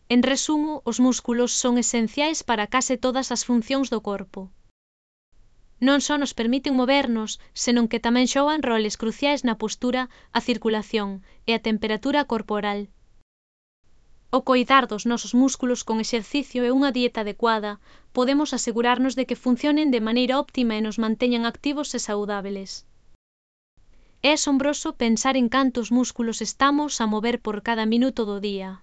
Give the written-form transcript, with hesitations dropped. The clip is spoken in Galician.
En resumo, os músculos son esenciais para case todas as funcións do corpo. Non só nos permiten movernos, senón que tamén xogan roles cruciais na postura, a circulación e a temperatura corporal. Ao coidar dos nosos músculos con exercicio e unha dieta adecuada, podemos asegurarnos de que funcionen de maneira óptima e nos manteñan activos e saudábeis. É asombroso pensar en cantos músculos estamos a mover por cada minuto do día.